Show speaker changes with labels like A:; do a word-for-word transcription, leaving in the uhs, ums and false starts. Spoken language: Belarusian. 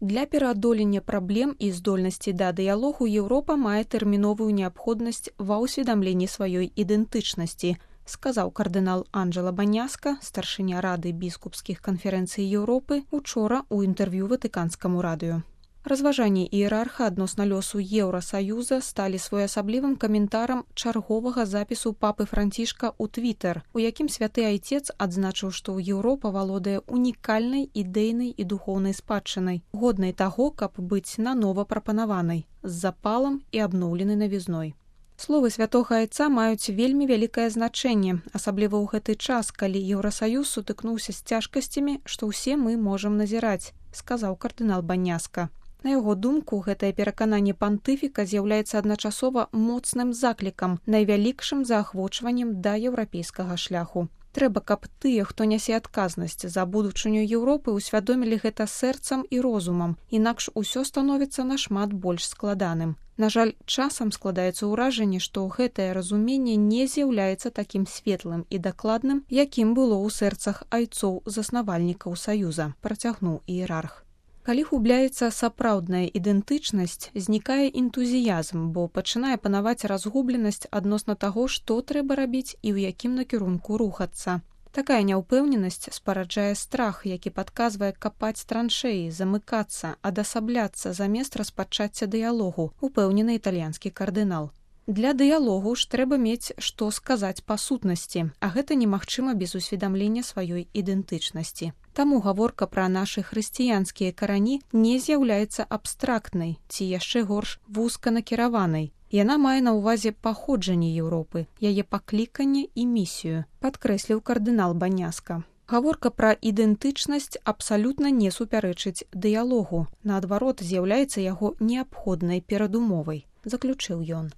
A: Для пераадолення праблем і здольнасці да дыялогу Еўропа мае тэрміновую неабходнасць ва ўсведамленні сваёй ідэнтычнасці, сказаў кардынал Анджела Баняска, старшыня Рады біскупскіх канферэнцый Еўропы, учора ў інтэрв'ю Ватыканскаму радыё. Разважанні іерарха адносна лёсу Еўрасаюза сталі своеасаблівым каментарам чарговага запісу папы Францішка ў Твітэр, у якім святы айцец адзначыў, што Еўропа валодае унікальнай ідэйнай і духоўнай спадчынай, годнай таго, каб быць нанова прапанаванай, з запалам і абноўленай навізной. Словы святога айца маюць вельмі вялікае значэнне, асабліва ў гэты час, калі Еўрасаюз сутыкнуўся з цяжкасцямі, што ўсе мы можам назіраць, сказаў кардынал Баняска. На яго думку, гэтае перакананне пантыфіка з'яўляецца адначасова моцным заклікам, найвялікшым заахвочваннем да еўрапейскага шляху. Трэба, каб тыя, хто нясе адказнасць за будучыню Еўропы, усвядомілі гэта сэрцам і розумам, інакш усё становіцца нашмат больш складаным. На жаль, часам складаецца ўражанне, што гэтае разуменне не з'яўляецца такім светлым і дакладным, якім было ў сэрцах айцоў-заснавальнікаў Саюза, працягнуў іерарх. Калі губляецца сапраўдная ідэнтычнасць, знікае энтузіязм, бо пачынае панаваць разгубленасць адносна таго, што трэба рабіць і ў якім накірунку рухацца. Такая няўпэўненасць спараджае страх, які падказвае капаць траншэі, замыкацца, адасабляцца замест распачацця дыялогу, упэўнены італьянскі кардынал. Для дыялогу ж трэба мець, што сказаць па сутнасці, а гэта немагчыма без усведамлення сваёй ідэнтычнасці. Таму гаворка пра нашы хрысціянскія карані не з'яўляецца абстрактнай ці яшчэ горш вузканакіраванай. Яна мае на ўвазе паходжанне Еўропы, яе пакліканне і місію, падкрэсліў кардынал Баняска. Гаворка пра ідэнтычнасць абсалютна не супярэчыць дыялогу, наадварот, з'яўляецца яго неабходнай перадумовай, заключыў ён.